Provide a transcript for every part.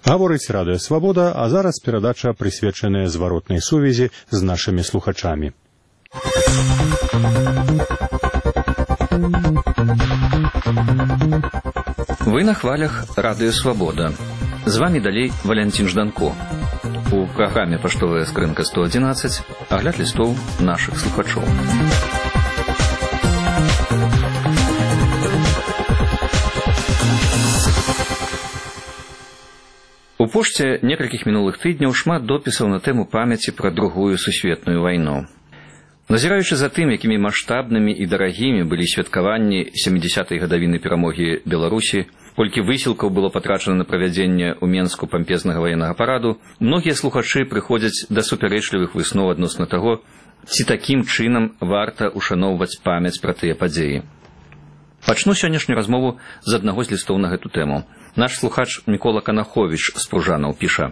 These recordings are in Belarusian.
Гаворыць Радыё Свабода, а зараз перадача прысвечаная зваротнай сувязі з нашымі слухачамі. Вы на хвалях Радыё Свабода. З вами далей Валянцін Жданко. У праграме «Паштовая скрынка 111» агляд лістоў нашых слухачоў. У пошце некалькіх мінулых тыдняў шмат допісаў на тэму памяці пра Другую сусветную вайну. Назіраючы за тым, якімі маштабнымі і дарагімі былі святкаванні 70-й гадавіны перамогі Беларусі, колькі высілкаў было патрачана на правядзенне ў Менску пампезнага ваеннага параду, многія слухачы прыходзяць да супярэчлівых высноў адносна таго, ці такім чынам варта ушаноўваць памяць пра тыя падзеі. Пачну сённяшнюю размову з аднаго з лістоў на гэту тэму. Наш слухач Мікола Канаховіч з Пружанаў піша: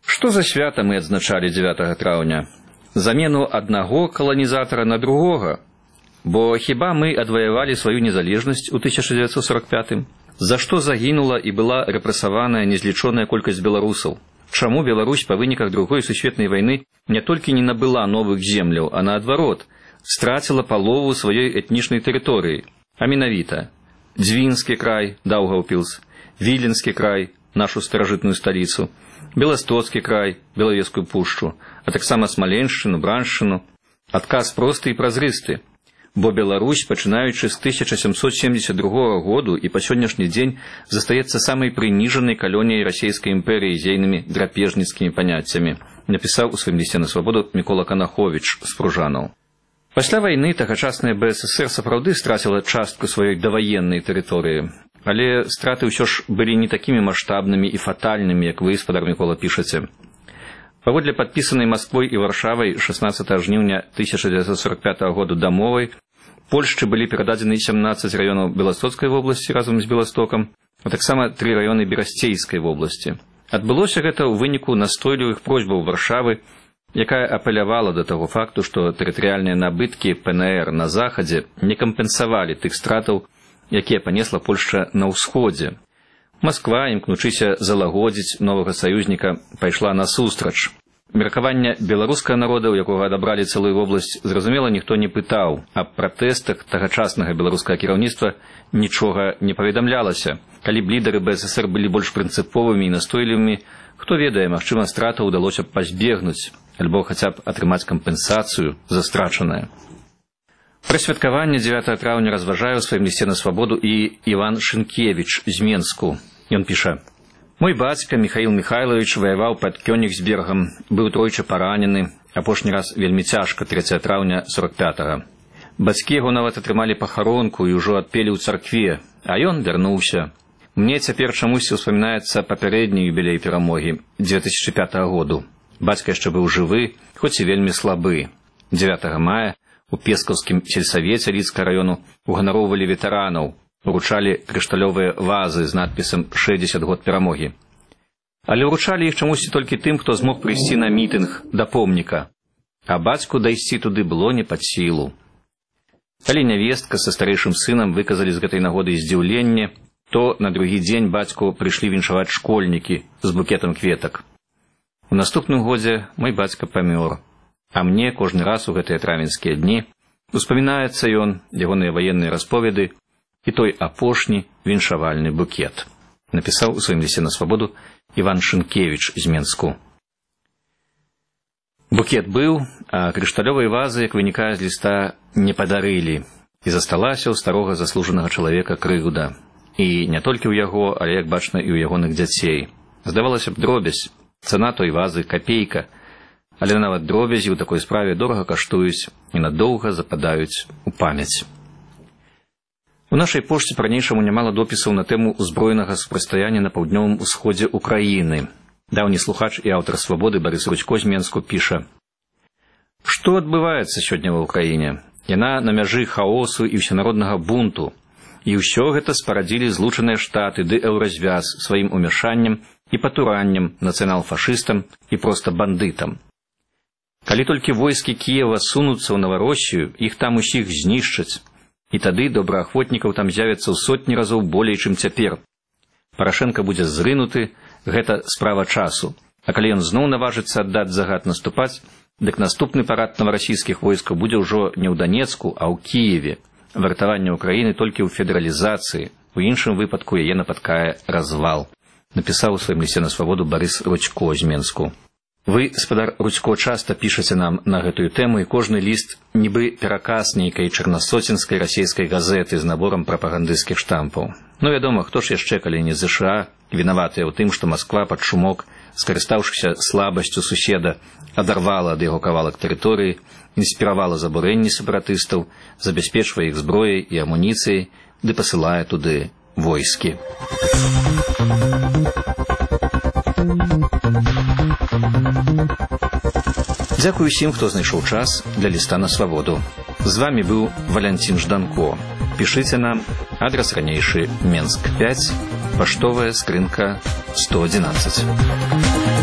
«Што за свята мы адзначалі 9 траўня? Замену аднаго каланізатара на другога? Бо хіба мы адваявалі сваю незалежнасць у 1945-м? За што загінула і была рэпрэсаваная незлічоная колькасць беларусаў? Чаму Беларусь па выніках Другой сусветнай вайны не толькі не набыла новых земляў, а наадварот, страціла палову сваёй этнічнай тэрыторыі, а менавіта Дзвінскі край, Даўгаўпілс, Віленскі край, нашу старажытную сталіцу, Беластоцкі край, Белавежскую пушчу, а таксама Смаленшчыну, Браншчыну? Адказ просты і празрысты. Бо Беларусь, пачынаючы з 1772 году і па сённяшні дзень, застаецца самай прыніжанай калоніяй расійскай імперыі з ейнымі драпежніцкімі паняццямі, напісаў у сваім лісце на свабоду Мікола Канаховіч з Пружанаў. Пасля вайны тагачасная БССР сапраўды страціла частку сваёй даваеннай тэрыторыі, але страты ўсё ж былі не такімі маштабнымі і фатальнымі, як вы, спадар Мікола, пішаце. Паводле падпісанай Масквой і Варшавай 16 жніўня 1945 году дамовай, Польшчы былі перададзены 17 раёнаў Беластоцкай вобласці разам з Беластокам, а таксама 3 раёны Берасцейскай вобласці. Адбылося гэта ў выніку настойлівых просьбаў Варшавы, якая апелявала да таго факту, што тэрытарыяльныя набыткі ПНР на захадзе не кампенсавалі тых стратаў, якія панесла Польшча на ўсходзе. Масква, імкнучыся залагодзіць новага саюзніка, пайшла насустрач. Меркаванне беларускага народа, у якога адабралі цэлую вобласць, зразумела, ніхто не пытаў. Аб пратэстах тагачаснага беларускага кіраўніцтва нічога не паведамлялася. Калі б лідары БССР былі больш прынцыповымі і настойлівымі, хто ведае, магчыма, страта ўдалося б пазбегнуць, альбо хаця б атрымаць кампенсацыю за страчанае. Пра святкаванне 9 траўня разважае ў сваім лісце на свабоду і Іван Шынкевіч з Менску. Ён піша: «Мой бацька Міхаіл Міхайлович ваяваў пад Кёнігсбергам, быў тройчы паранены, апошні раз вельмі цяжка 3 траўня 45-го. Бацькі яго нават атрымалі пахаронку і ўжо адпелі ў царкве, а ён вярнуўся. Мне цяпер чамусьці ўспамінаецца папярэдні юбілей перамогі 2005 году. Бацька яшчэ быў жывы, хоць і вельмі слабы. 9 мая у Пескаўскім сельсавеце Лідскага раёну уганароўвалі ветэранаў, уручалі крышталёвыя вазы з надпісам «60 год перамогі». Але уручалі іх чамусьці толькі тым, хто змог прыйсці на мітынг да помніка, а бацьку дайсці туды было не пад сілу. Калі нявестка са старэйшым сынам выказалі з гэтай нагоды здзіўленне, то на другі дзень бацьку прыйшлі віншаваць школьнікі з букетам кветак. У наступным годзе мой бацька памёр, а мне кожны раз у гэтыя травеньскія дні успамінаецца ён, ягоныя ваенныя расповеды і той апошні віншавальны букет», напісаў у сваім лісце на свабоду Іван Шынкевіч з Менску. Букет быў, а крышталёвай вазы, як вынікае з ліста, не падарылі, і засталася ў старога заслужанага чалавека крыўда. І не толькі ў яго, але, як бачна, і ў ягоных дзяцей. Здавалася б, дробязь, цана той вазы капейка, але нават дробязі ў такой справе дорага каштуюць і надоўга западаюць у памяць. У нашай пошце па-ранейшаму нямала допісаў на тэму узброенага супрацьстаяння на паўднёвым усходзе Украіны. Даўні слухач і аўтар «Свабоды» Барыс Рудзько з Менску піша: «Што адбываецца сёння ва ўкраіне? Яна на мяжы хаосу і ўсенароднага бунту. І ўсё гэта спарадзілі Злучаныя Штаты ды Еўразвяз сваім умяшаннем і патураннем нацыянал-фашыстам і проста бандытам. Калі толькі войскі Кіева сунуцца ў Навароссію, іх там усіх знішчаць. І тады добраахвотнікаў там з'явіцца ў сотні разоў болей, чым цяпер. Парашенка будзе зрынуты, гэта справа часу. А калі ён зноў наважыцца аддаць загад наступаць, дык наступны парад новарасійскіх войскаў будзе ўжо не ў Данецку, а ў Кіеве. Вартаванне ўкраіны толькі ў федэралізацыі, у іншым выпадку яе напаткае развал. Напісаў у сваім лісце на свабоду Барыс Рудзько з Менску. Вы, спадар Рудзько, часта пішаце нам на гэтую тэму, і кожны ліст нібы пераказ нейкай чарнасоценскай расійскай газеты з наборам прапагандысцкіх штампаў. Ну, вядома, хто ж яшчэ, калі не ЗША, вінаватыя ў тым, што Масква пад шумок, скарыстаўшыся слабасцю суседа, адарвала ад яго кавалак тэрыторыі, інспіравала забурэнні сепаратыстаў, забяспечвае іх зброяй і амуніцыяй, ды пасылае туды войскі. Дзякую усім, хто знайшоў час для ліста на свабоду. З вамі быў Валянцін Жданко. Пішыце нам, адрас ранейшы Менск 5, паштовая скрынка 111.